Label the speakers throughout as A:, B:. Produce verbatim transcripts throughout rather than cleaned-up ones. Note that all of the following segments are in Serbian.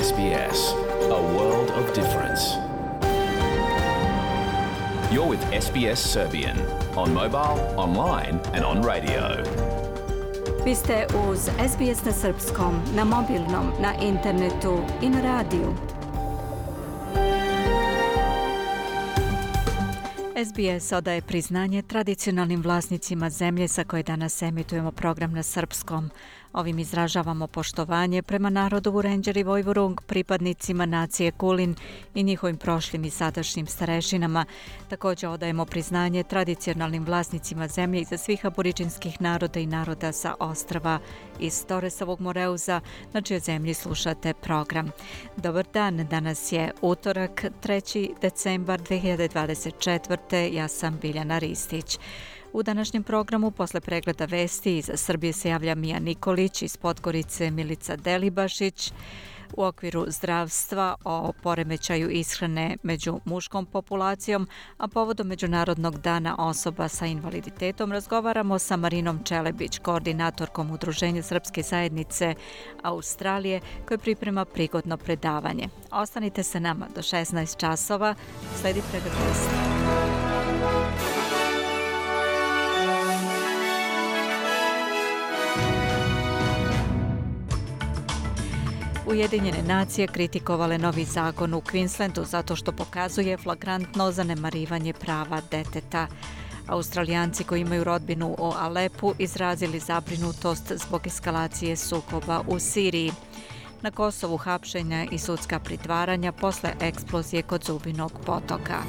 A: S B S, a world of difference. You're with S B S Serbian on mobile, online and on radio.
B: Vi ste uz S B S na srpskom, na mobilnom, na internetu i na radiju. S B S odaje priznanje tradicionalnim vlasnicima zemlje sa koje danas emitujemo program na srpskom. Ovim izražavamo poštovanje prema narodu Vurenđer i Vojvurung, pripadnicima nacije Kulin i njihovim prošlim i sadašnjim starešinama. Također odajemo priznanje tradicionalnim vlasnicima zemlje iza svih aboriđinskih naroda i naroda sa ostrva iz Toresovog Moreuza, na čijoj zemlji slušate program. Dobar dan, danas je utorak, treći decembar dve hiljade dvadeset četvrte. Ja sam Biljana Ristić. U današnjem programu posle pregleda vesti iz Srbije se javlja Mija Nikolić, iz Podgorice Milica Delibašić. U okviru zdravstva o poremećaju ishrane među muškom populacijom, a povodom Međunarodnog dana osoba sa invaliditetom razgovaramo sa Marinom Čelebić, koordinatorkom Udruženja Srpske zajednice Australije, koje priprema prigodno predavanje. Ostanite sa nama do šesnaest časova, sledi pregled vesti. Ujedinjene nacije kritikovale novi zakon u Queenslandu zato što pokazuje flagrantno zanemarivanje prava deteta. Australijanci koji imaju rodbinu u Alepu izrazili zabrinutost zbog eskalacije sukoba u Siriji. Na Kosovu hapšenja i sudska pritvaranja posle eksplozije kod Zubinog potoka.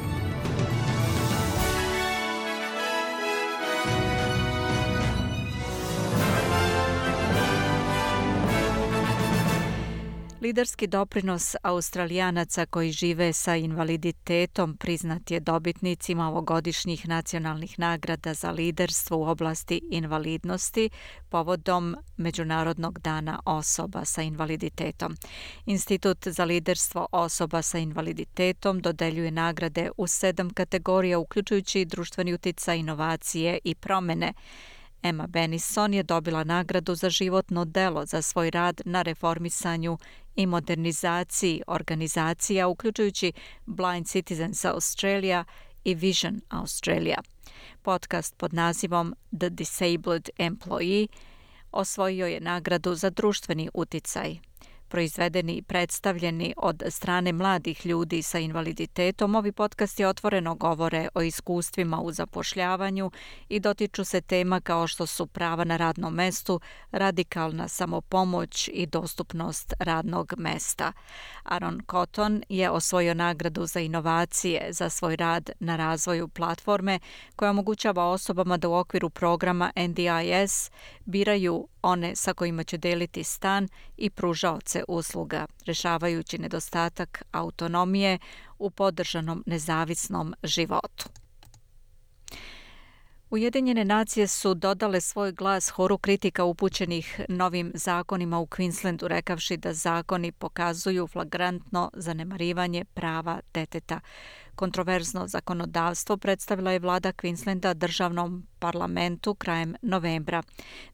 B: Liderski doprinos Australijanaca koji žive sa invaliditetom priznat je dobitnicima ovogodišnjih nacionalnih nagrada za liderstvo u oblasti invalidnosti povodom Međunarodnog dana osoba sa invaliditetom. Institut za liderstvo osoba sa invaliditetom dodeljuje nagrade u sedam kategorija, uključujući društveni uticaj, inovacije i promene. Emma Benison je dobila nagradu za životno delo za svoj rad na reformisanju i modernizaciji organizacija, uključujući Blind Citizens Australia i Vision Australia. Podcast pod nazivom The Disabled Employee osvojio je nagradu za društveni uticaj. Proizvedeni i predstavljeni od strane mladih ljudi sa invaliditetom, ovi podcasti otvoreno govore o iskustvima u zapošljavanju i dotiču se tema kao što su prava na radnom mestu, radikalna samopomoć i dostupnost radnog mesta. Aaron Cotton je osvojio nagradu za inovacije za svoj rad na razvoju platforme koja omogućava osobama da u okviru programa N D I S biraju one sa kojima će deliti stan i pružaoce usluga, rešavajući nedostatak autonomije u podržanom nezavisnom životu. Ujedinjene nacije su dodale svoj glas horu kritika upućenih novim zakonima u Queenslandu, rekavši da zakoni pokazuju flagrantno zanemarivanje prava deteta. Kontroverzno zakonodavstvo predstavila je vlada Queenslanda državnom parlamentu krajem novembra.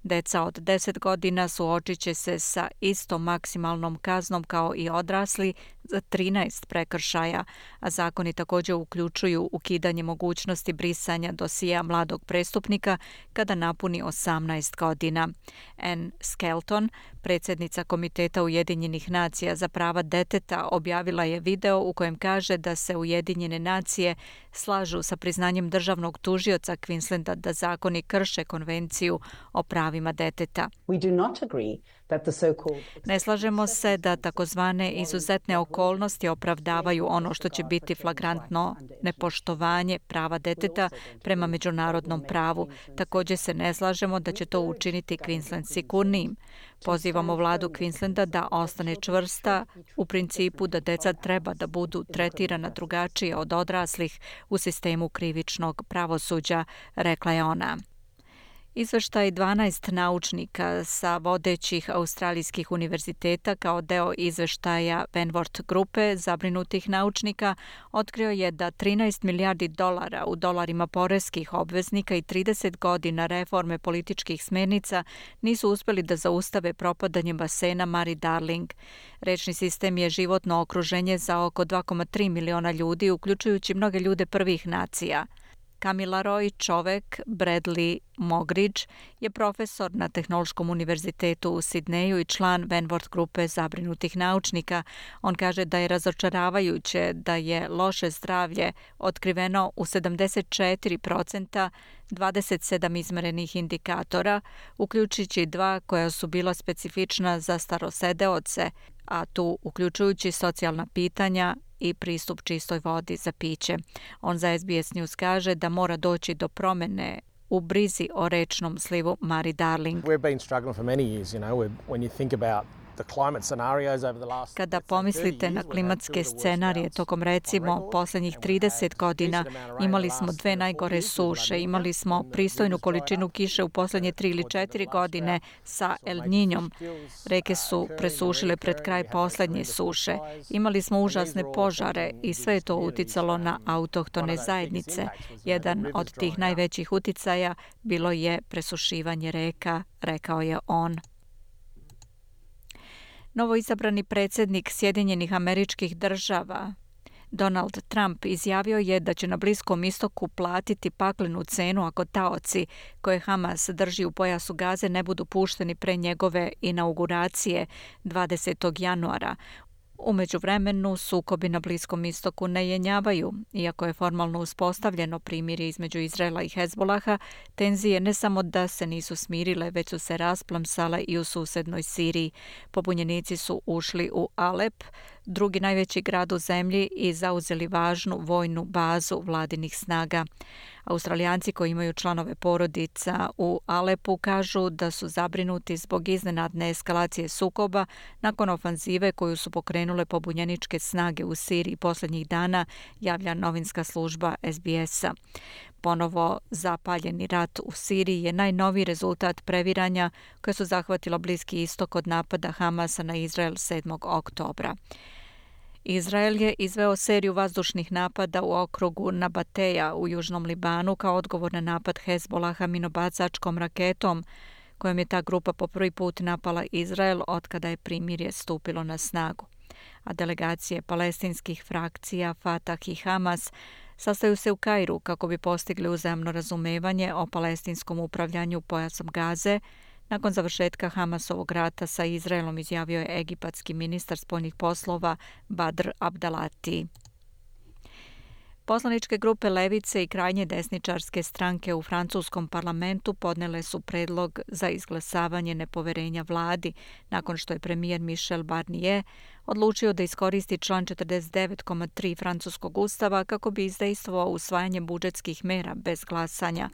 B: Deca od deset godina suočit će se sa istom maksimalnom kaznom kao i odrasli za trinaest prekršaja, a zakoni također uključuju ukidanje mogućnosti brisanja dosija mladog prestupnika kada napuni osamnaest godina. Anne Skelton, predsjednica Komiteta Ujedinjenih nacija za prava deteta, objavila je video u kojem kaže da se Ujedinjene nacije slažu sa priznanjem državnog tužioca Queenslanda da zakoni krše konvenciju o pravima deteta. Ne slažemo se da takozvane izuzetne okolnosti opravdavaju ono što će biti flagrantno nepoštovanje prava deteta prema međunarodnom pravu. Također se ne slažemo da će to učiniti Queensland sigurnijim. Pozivamo vladu Queenslanda da ostane čvrsta u principu da deca treba da budu tretirana drugačije od odraslih u sistemu krivičnog pravosuđa, rekla je ona. Izveštaj dvanaest naučnika sa vodećih australijskih univerziteta kao deo izveštaja Vanwart grupe zabrinutih naučnika otkrio je da trinaest milijardi dolara u dolarima poreskih obveznika i trideset godina reforme političkih smernica nisu uspeli da zaustave propadanje basena Murray Darling. Rečni sistem je životno okruženje za oko dva zarez tri miliona ljudi, uključujući mnoge ljude prvih nacija. Kamilaroi Čovek Bradley Mogridge je profesor na Tehnološkom univerzitetu u Sidneju i član Vanwart grupe zabrinutih naučnika. On kaže da je razočaravajuće da je loše zdravlje otkriveno u sedamdeset četiri procenta dvadeset sedam izmerenih indikatora, uključujući dva koja su bila specifična za starosedeoce, a tu uključujući socijalna pitanja i pristup čistoj vodi za piće. On za S B S News kaže da mora doći do promene u brizi o rečnom slivu Murray Darling.
C: We've been struggling for many years, you know, when you think about
B: Kada pomislite na klimatske scenarije tokom recimo posljednjih trideset godina, imali smo dve najgore suše, imali smo pristojnu količinu kiše u posljednje tri ili četiri godine sa El Niñom. Reke su presušile pred kraj posljednje suše. Imali smo užasne požare i sve je to uticalo na autohtone zajednice. Jedan od tih najvećih uticaja bilo je presušivanje reka, rekao je on. Novoizabrani predsjednik Sjedinjenih Američkih Država Donald Trump izjavio je da će na Bliskom istoku platiti paklenu cenu ako taoci koje Hamas drži u pojasu Gaze ne budu pušteni pre njegove inauguracije dvadesetog januara. U međuvremenu sukobi na Bliskom istoku ne jenjavaju. Iako je formalno uspostavljeno primirje između Izraela i Hezbolaha, tenzije ne samo da se nisu smirile, već su se rasplamsale i u susednoj Siriji. Pobunjenici su ušli u Alep, drugi najveći grad u zemlji, i zauzeli važnu vojnu bazu vladinih snaga. Australijanci koji imaju članove porodica u Alepu kažu da su zabrinuti zbog iznenadne eskalacije sukoba nakon ofanzive koju su pokrenule pobunjeničke snage u Siriji posljednjih dana, javlja novinska služba S B S-a. Ponovo zapaljeni rat u Siriji je najnoviji rezultat previranja koje su zahvatilo Bliski istok od napada Hamasa na Izrael sedmog oktobra. Izrael je izveo seriju vazdušnih napada u okrugu Nabateja u južnom Libanu kao odgovor na napad Hezbolaha minobacačkom raketom kojom je ta grupa po prvi put napala Izrael otkada je primirje stupilo na snagu. A delegacije palestinskih frakcija Fatah i Hamas sastaju se u Kairu kako bi postigli uzajamno razumevanje o palestinskom upravljanju pojasom Gaze. Nakon završetka Hamasovog rata sa Izraelom, izjavio je egipatski ministar spoljnih poslova Badr Abdalati. Poslaničke grupe levice i krajnje desničarske stranke u francuskom parlamentu podnele su predlog za izglasavanje nepoverenja vladi nakon što je premijer Michel Barnier odlučio da iskoristi član četrdeset devet zarez tri francuskog ustava kako bi izdejstvovao usvajanje budžetskih mera bez glasanja.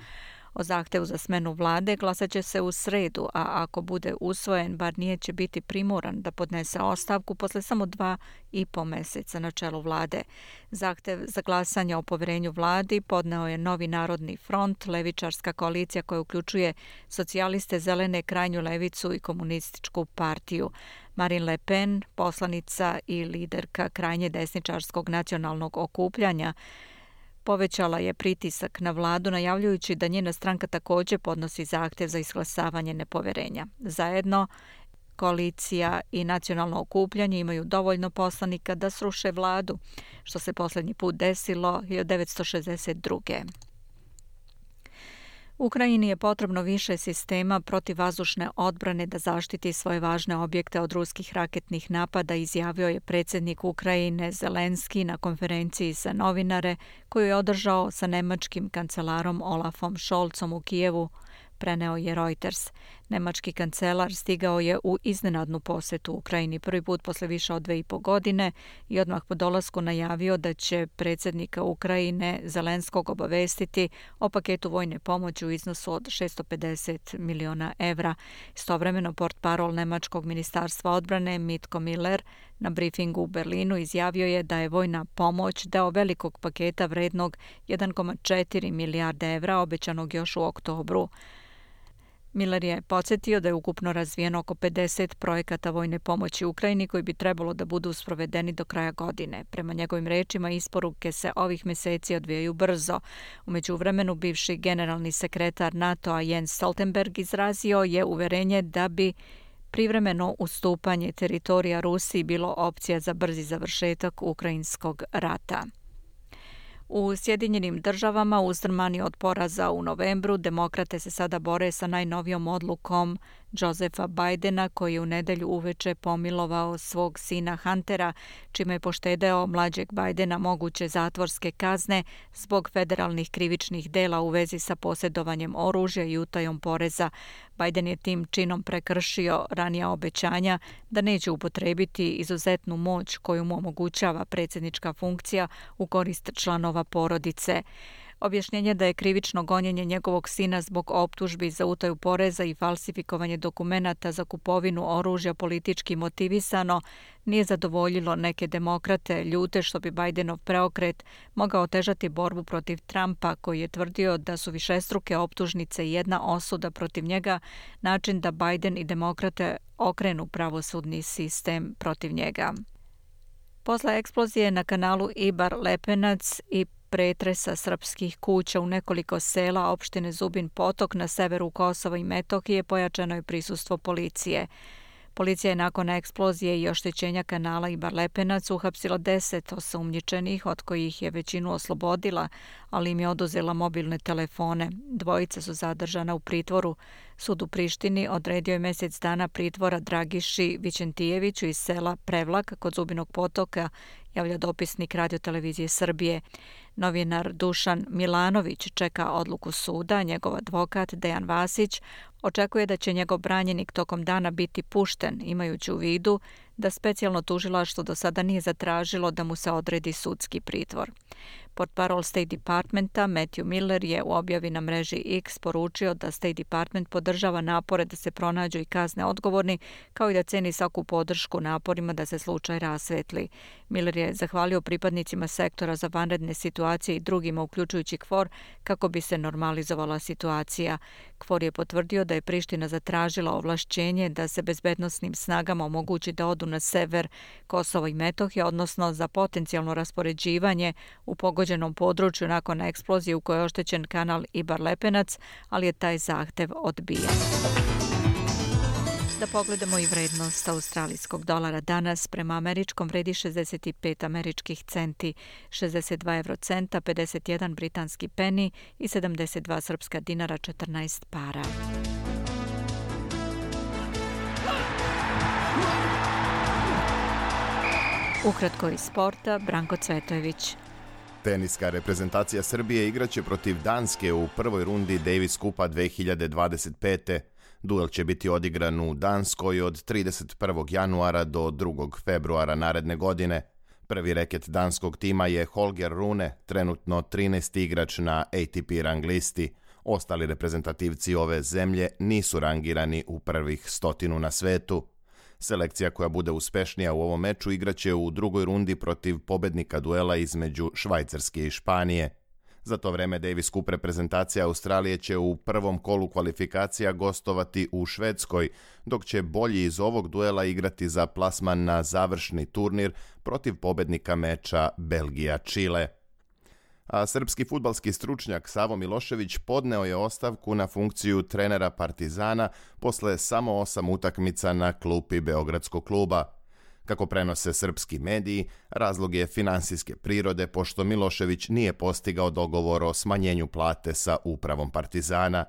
B: O zahtevu za smenu vlade glasat će se u sredu, a ako bude usvojen, Barnier će biti primoran da podnese ostavku posle samo dva i po meseca na čelu vlade. Zahtev za glasanje o poverenju vladi podneo je Novi narodni front, levičarska koalicija koja uključuje socijaliste, zelene, krajnju levicu i komunističku partiju. Marine Le Pen, poslanica i liderka krajnje desničarskog nacionalnog okupljanja, povećala je pritisak na vladu najavljujući da njena stranka također podnosi zahtev za izglasavanje nepoverenja. Zajedno, koalicija i nacionalno okupljanje imaju dovoljno poslanika da sruše vladu, što se posljednji put desilo hiljadu devetsto šezdeset druge. Ukrajini je potrebno više sistema protivvazdušne odbrane da zaštiti svoje važne objekte od ruskih raketnih napada, izjavio je predsjednik Ukrajine Zelenski na konferenciji za novinare koju je održao sa nemačkim kancelarom Olafom Scholzom u Kijevu, preneo je Reuters. Nemački kancelar stigao je u iznenadnu posjetu Ukrajini prvi put posle više od dve i po godine i odmah po dolasku najavio da će predsjednika Ukrajine Zelenskog obavestiti o paketu vojne pomoći u iznosu od šesto pedeset miliona evra. Istovremeno portparol nemačkog ministarstva odbrane Mitko Miller na brifingu u Berlinu izjavio je da je vojna pomoć deo velikog paketa vrednog jedan zarez četiri milijarde evra obećanog još u oktobru. Miller je podsjetio da je ukupno razvijeno oko pedeset projekata vojne pomoći Ukrajini koji bi trebalo da budu sprovedeni do kraja godine. Prema njegovim rečima, isporuke se ovih meseci odvijaju brzo. U međuvremenu, bivši generalni sekretar NATO-a Jens Stoltenberg izrazio je uverenje da bi privremeno ustupanje teritorija Rusiji bilo opcija za brzi završetak ukrajinskog rata. U Sjedinjenim državama, uzdrmani od poraza u novembru, demokrate se sada bore sa najnovijom odlukom Josepha Bidena, koji je u nedelju uveče pomilovao svog sina Huntera, čime je poštedeo mlađeg Bidena moguće zatvorske kazne zbog federalnih krivičnih dela u vezi sa posjedovanjem oružja i utajom poreza. Biden je tim činom prekršio ranija obećanja da neće upotrebiti izuzetnu moć koju mu omogućava predsjednička funkcija u korist članova porodice. Objašnjenje da je krivično gonjenje njegovog sina zbog optužbi za utaju poreza i falsifikovanje dokumenata za kupovinu oružja politički motivisano nije zadovoljilo neke demokrate, ljute što bi Bidenov preokret mogao otežati borbu protiv Trumpa, koji je tvrdio da su višestruke optužnice i jedna osuda protiv njega način da Biden i demokrate okrenu pravosudni sistem protiv njega. Posle eksplozije na kanalu Ibar-Lepenac i pretresa srpskih kuća u nekoliko sela opštine Zubin Potok na severu Kosova i Metohije pojačano je prisustvo policije. Policija je nakon eksplozije i oštećenja kanala Ibar-Lepenac uhapsila deset osumnjičenih, od kojih je većinu oslobodila, ali im je oduzela mobilne telefone. Dvojica su zadržana u pritvoru. Sud u Prištini odredio je mjesec dana pritvora Dragiši Vićentijeviću iz sela Prevlak kod Zubinog Potoka, javlja dopisnik Radio-televizije Srbije. Novinar Dušan Milanović čeka odluku suda, njegov advokat Dejan Vasić očekuje da će njegov branjenik tokom dana biti pušten, imajući u vidu da specijalno tužilaštvo do sada nije zatražilo da mu se odredi sudski pritvor. Portparol State Departmenta Matthew Miller je u objavi na mreži X poručio da State Department podržava napore da se pronađu i kazne odgovorni, kao i da ceni svaku podršku naporima da se slučaj rasvetli. Miller je zahvalio pripadnicima sektora za vanredne situacije i drugima, uključujući K F O R, kako bi se normalizovala situacija. K F O R je potvrdio da je Priština zatražila ovlašćenje da se bezbednosnim snagama omogući da odu na sever Kosova i Metohije, odnosno za potencijalno raspoređivanje u pogođenom području nakon eksplozije u kojoj je oštećen kanal Ibar-Lepenac, ali je taj zahtev odbijen. Da pogledamo i vrednost australijskog dolara danas. Prema američkom vredi šezdeset pet američkih centi, šezdeset dva evrocenta, pedeset jedan britanski peni i sedamdeset dva srpska dinara, četrnaest para. Ukratko iz sporta, Branko Cvetojević.
D: Teniska reprezentacija Srbije igraće protiv Danske u prvoj rundi Davis Kupa dve hiljade dvadeset pete. Duel će biti odigran u Danskoj od trideset prvog januara do drugog februara naredne godine. Prvi reket danskog tima je Holger Rune, trenutno trinaesti igrač na A T P rang listi. Ostali reprezentativci ove zemlje nisu rangirani u prvih stotinu na svetu. Selekcija koja bude uspešnija u ovom meču igraće u drugoj rundi protiv pobednika duela između Švajcarske i Španije. Za to vreme Davis Cup reprezentacija Australije će u prvom kolu kvalifikacija gostovati u Švedskoj, dok će bolji iz ovog duela igrati za plasman na završni turnir protiv pobednika meča Belgija-Čile. A srpski fudbalski stručnjak Savo Milošević podneo je ostavku na funkciju trenera Partizana posle samo osam utakmica na klupi Beogradskog kluba. Kako prenose srpski mediji, razlog je finansijske prirode, pošto Milošević nije postigao dogovor o smanjenju plate sa upravom Partizana.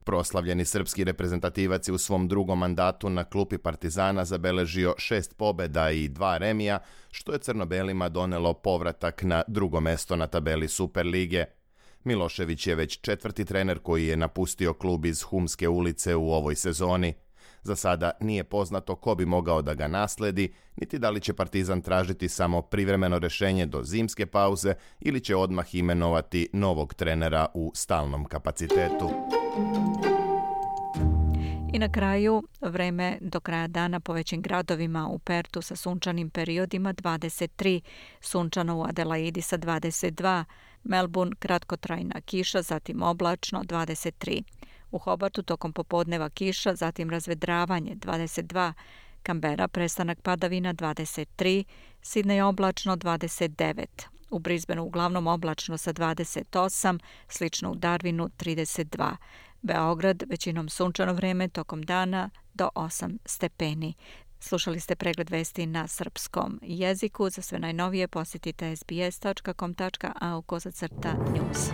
D: Proslavljeni srpski reprezentativac je u svom drugom mandatu na klupi Partizana zabeležio šest pobeda i dva remija, što je crno-belima donelo povratak na drugo mesto na tabeli Superlige. Milošević je već četvrti trener koji je napustio klub iz Humske ulice u ovoj sezoni. Za sada nije poznato ko bi mogao da ga nasledi, niti da li će Partizan tražiti samo privremeno rešenje do zimske pauze ili će odmah imenovati novog trenera u stalnom kapacitetu.
B: I na kraju, vreme do kraja dana po većim gradovima: u Pertu sa sunčanim periodima dvadeset tri, sunčano u Adelaidi sa dvadeset dva, Melbourne kratkotrajna kiša, zatim oblačno dvadeset tri. U Hobartu tokom popodneva kiša, zatim razvedravanje dvadeset dva, Kambera prestanak padavina dvadeset tri, Sidnej oblačno dvadeset devet, u Brisbaneu uglavnom oblačno sa dvadeset osam, slično u Darwinu trideset dva, Beograd većinom sunčano vreme tokom dana do osam stepeni. Slušali ste pregled vesti na srpskom jeziku. Za sve najnovije posjetite s b s dot com dot a u kosacrta news.